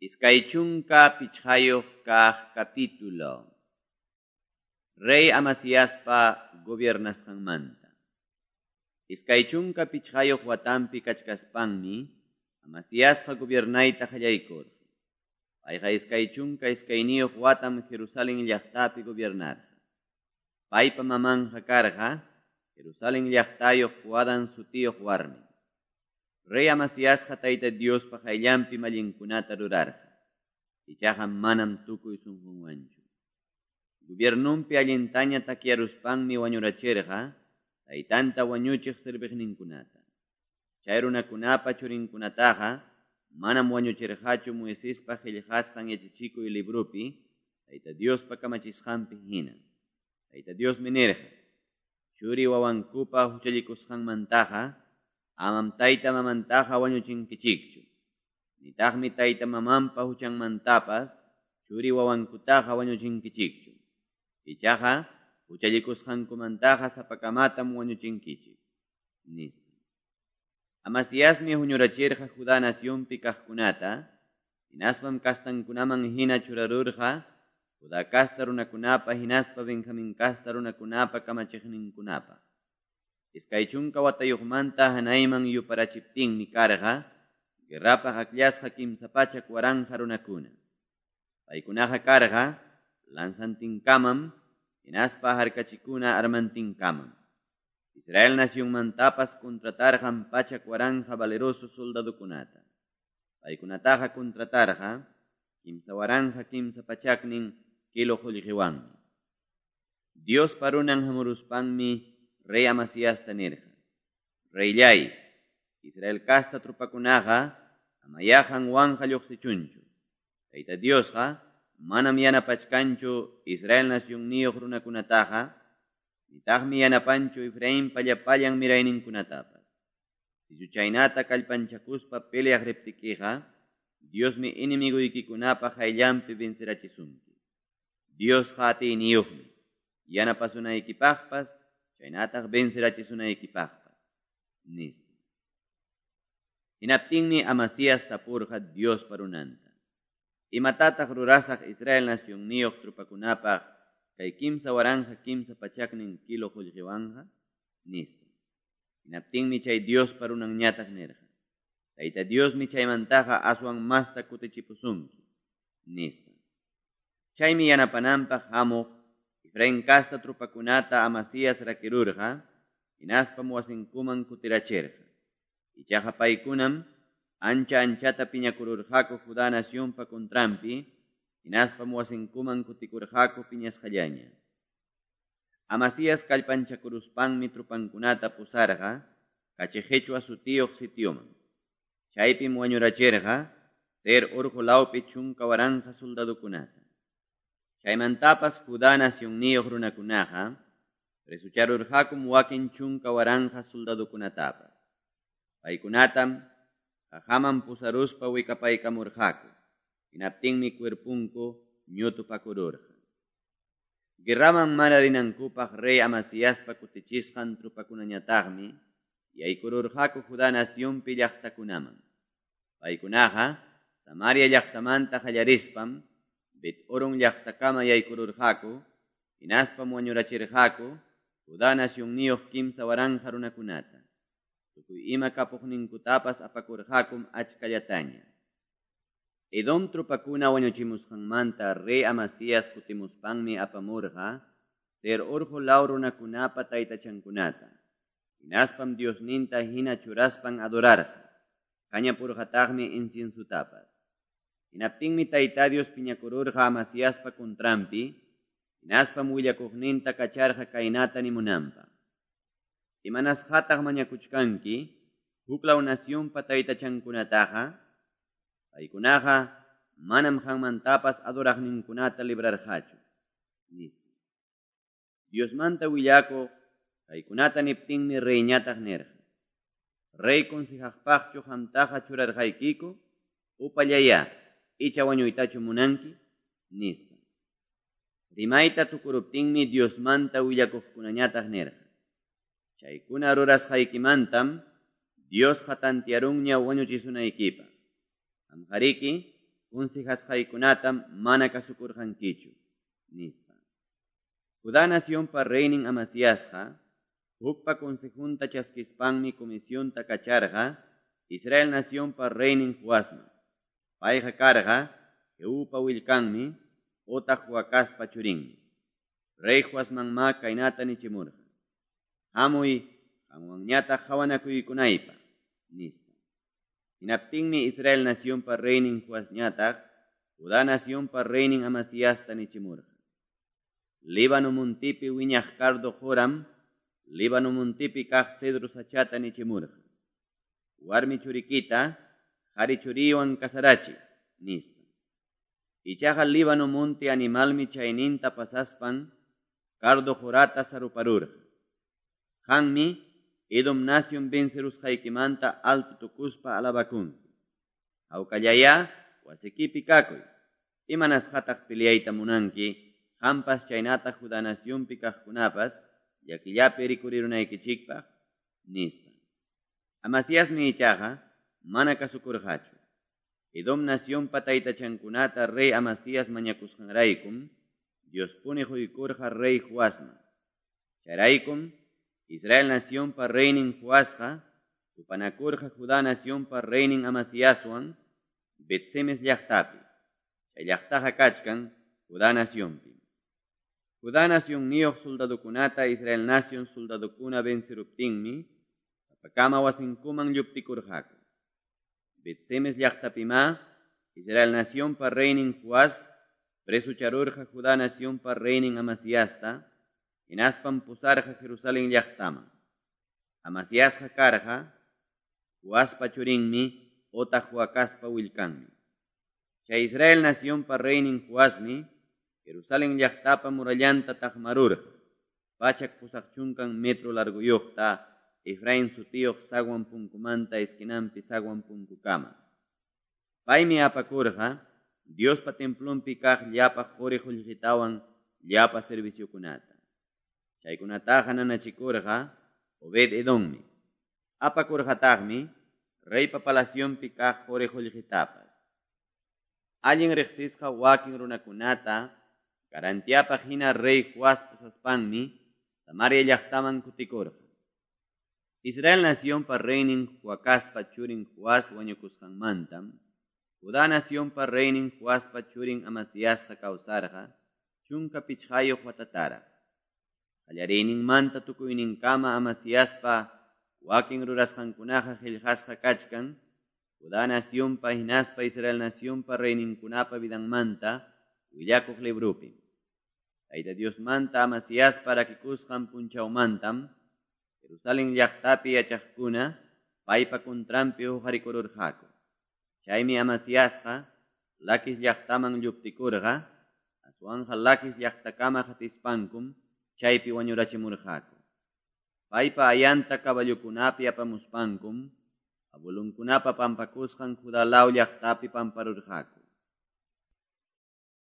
25 kaq capítulo. Rey Amasiaspa gobiernasqanmanta. 25 watanpi kachkaspanmi Amasiasqa gobiernayta qallaykurqa. Payqa 22 watam Jerusalén llaqtapi gobiernarqa. Paypa mamanqa karqa Jerusalén llaqtayuq Joadan sutiyuq warmi. Rey Amasiasqa Tayta Diospa qayllanpi mallinkunata rurarqa. Ichaqa manam tukuy sunqunwanchu. Gobiernunpi allintaña takyaruspanmi wañurachirqa taytanta wañuchiq serviqninkunata. Chay runakunapa churinkunataqa manam wañuchirqachu Moisespa qillqasqan yachachikuy libropi Tayta Diospa kamachisqanpi hina. Tayta Diosmi nirqa: Churi wawankupa huchallikusqanmantaqa amam tayta mamantaqa wañuchinkichikchu. Nitaqmi tayta mamanpa huchanmantapas churi wawankutaqa wañuchinkichikchu. Ichaqa huchallikusqankumantaqa sapakamatam wañuchinkichik, nispa. Amasiasmi huñurachirqa Judá nacionpi kaqkunata, hinaspam kastankunaman hina churarurqa Judá casta runakunapa hinaspa Benjamín casta runakunapa kamachiqninkunapa. 20 watayuqmanta hanayman yuparachiptinmi karqa guerrapaq akllasqa 300,000 runakuna. Paykunaqa karqa lanzantinkamam hinaspa harkachikuna armantinkamam. Israel nacionmantapas contratarqan 100,000 valeroso soldadokunata. Paykunataqa contratarqa 3,300 kilo qullqiwanmi. Diospa runan hamuruspanmi rey Amasiasta nirqa: Reyllay, Israel casta tropakunaqa amayahan wanqa lluqsichunchu. Tayta Diosqa manam yanapachkanchu Israel nacionniyuq runakunataqa, nitaqmi yanapanchu Efrainpa llapallan mirayninkunatapas. Sichu chaynata kallpanchakuspa peleaq riptikiqa, Diosmi enemiguykikunapa qayllanpi vencerachisunki. Diosqa atiyniyuqmi, yanapasunaykipaqpas, chaynataq vencerachisunaykipaqpas, nispa. Hinaptinmi Amasías tapurqa Diospa runanta: Imatataq rurasaq Israel nacionniyuq tropakunapaq kay 3,300 kilo qullqiwanqa? Nispa. Hinaptinmi chay Diospa runanñataq nirqa: Tayta Diosmi chaymantaqa aswan masta kutichipusunki, nispa. Chaymi yanapananpaq hamuq Efraín casta tropakunata Amasías rakirurqa, hinaspam wasinkuman kutirachirqa. Ichaqa paykunam ancha anchata piñakururqaku Judá nacionpa contranpi, hinaspam wasinkuman kutikurqaku piñasqallaña. Amasías kallpanchakuruspanmi tropankunata pusarqa Kachiqichwa sutiyuq sitioman. Chaypim wañurachirqa Seir urqu lawpi 10,000 soldadokunata. Chaymantapas Judá nacionniyuq runakunaqa presucharurqakum wakin 10,000 soldadokunatapas. Paykunatam qaqaman pusaruspa wikapaykamurqaku. Hinaptinmi cuerpunku ñutupakururqa. Guerraman mana rinankupaq rey Amasiaspa kutichisqan tropakunañataqmi yaykururqaku Judá nacionpi llaqtakunaman. Paykunaqa Samaria llaqtamanta qallarispam Bet-Horon llaqtakama yaykururqaku, hinaspam wañurachirqaku Judá nacionniyuq 3,000 runakunata. Tukuy ima kapuqninkutapas apakurqakum achkallataña. Edom tropakuna wañuchimusqanmanta rey Amasías kutimuspanmi apamurqa Seir urqu law runakunapa taytachankunata. Hinaspam Diosninta hina churaspan adorarqa. Kañapurqataqmi inciensutapas. Hinaptinmi Tayta Dios piñakururqa Amasiaspa contranpi, hinaspam willakuqninta kacharqa kaynata nimunanpaq: Imanasqataq mañakuchkanki huklaw nacionpa taytachankunataqa? Paykunaqa manam qanmantapas adoraqninkunata librarqachu, nispa. Diosmanta willakuq kaykunata niptinmi reyñataq nirqa: Rey consejaqpaqchu qamtaqa churarqaykiku? Upallayá, icha wañuytachu munanki? Nispa. Rimayta tukuruptinmi Diosmanta willakuqkunañataq nirqa: Chaykuna rurasqaykimantam Diosqa tantiarunña wañuchisunaykipaq. Qamqariki Consejasqaykunatam mana kasukurqankichu, nispa. Judá nacionpa reynin Amasiasqa hukpa consejunta chaskispanmi comisionta kacharqa Israel nacionpa reynin Joasman. Payqa karqa Jehupa willkanmi otaq Joacazpa churinmi. Rey Joasmanmá kaynata nichimurqa: Hamuy qanwanñataq qawanakuykunaypaq, nispa. Hinaptinmi Israel nacionpa reynin Joasñataq Judá nacionpa reynin Amasiasta nichimurqa: Líbano montepi wiñaq cardo qoram Líbano montepi kaq cedro sachata nichimurqa: Warmi churikita qari churiywan casarachiy, nispa. Ichaqa Líbano monte animalmi chayninta pasaspan cardo qorata saruparurqa. Qanmi Edom nacion vencerusqaykimanta alto tukuspa alabakunki. Hawkallayá wasikipi kakuy. Imanasqataq peleayta munanki, qampas chaynataq Judá nacionpi kaqkunapas llakillapi rikurirunaykichikpaq, nispa. Amasiasmi ichaqa mana kasukurqachu. Edom nacionpa taytachankunata rey Amasías mañakusqanraykum Diospuni quykurqa rey Joasman. Chayraykum Israel nacionpa reynin Joasqa tupanakurqa Judá nacionpa reynin Amasiaswan Bet-semes llaqtapi. Chay llaqtaqa kachkan Judá nacionpi. Judá nacionniyuq soldadokunata Israel nacion soldadokuna venceruptinmi sapakama wasinkuman lluptikurqaku. Bet-semes llaqtapimá Israel nacionpa reynin Joas presucharurqa Judá nacionpa reynin Amasiasta, hinaspam pusarqa Jerusalén llaqtaman. Amasiasqa karqa Joaspa churinmi otaq Joacazpa willkanmi. Chay Israel nacionpa reynin Joasmi Jerusalén llaqtapa murallanta taqmarurqa, 180 metro largoyuqta, Efraín sutiyuq zaguan punkumanta esquinanpi zaguan punkukama. Paymi apakurqa Diospa templonpi kaq llapa quri qullqitawan llapa serviciokunata. Chaykunataqa nanachikurqa Obed Edommi. Apakurqataqmi reypa palacionpi kaq quri qullqitapas. Allin riqsisqa wakin runakunata garantiapaq hina rey Joas pusaspanmi Samaria llaqtaman kutikurqa. Israel nacionpa reynin Joacazpa churin Joas wañukusqanmantam Judá nacionpa reynin Joaspa churin Amasiasqa kawsarqa 15 watataraq. Qallariyninmanta tukuyninkama Amasiaspa wakin rurasqankunaqa qillqasqa kachkan Judá nacionpa hinaspa Israel nacionpa reyninkunapa vidanmanta willakuq librupi. Tayta Diosmanta Amasiaspa rakikusqan punchawmantam Jerusalén llaqtapi yachaqkuna paypa contranpi huqarikururqaku. Chaymi Amasiasqa Laquis llaqtaman lluptikurqa, aswanqa Laquis llaqtakama qatispankum chaypi wañurachimurqaku. Paypa ayanta caballokunapi apamuspankum abuelunkunapa pampakusqan Judá law llaqtapi pamparurqaku.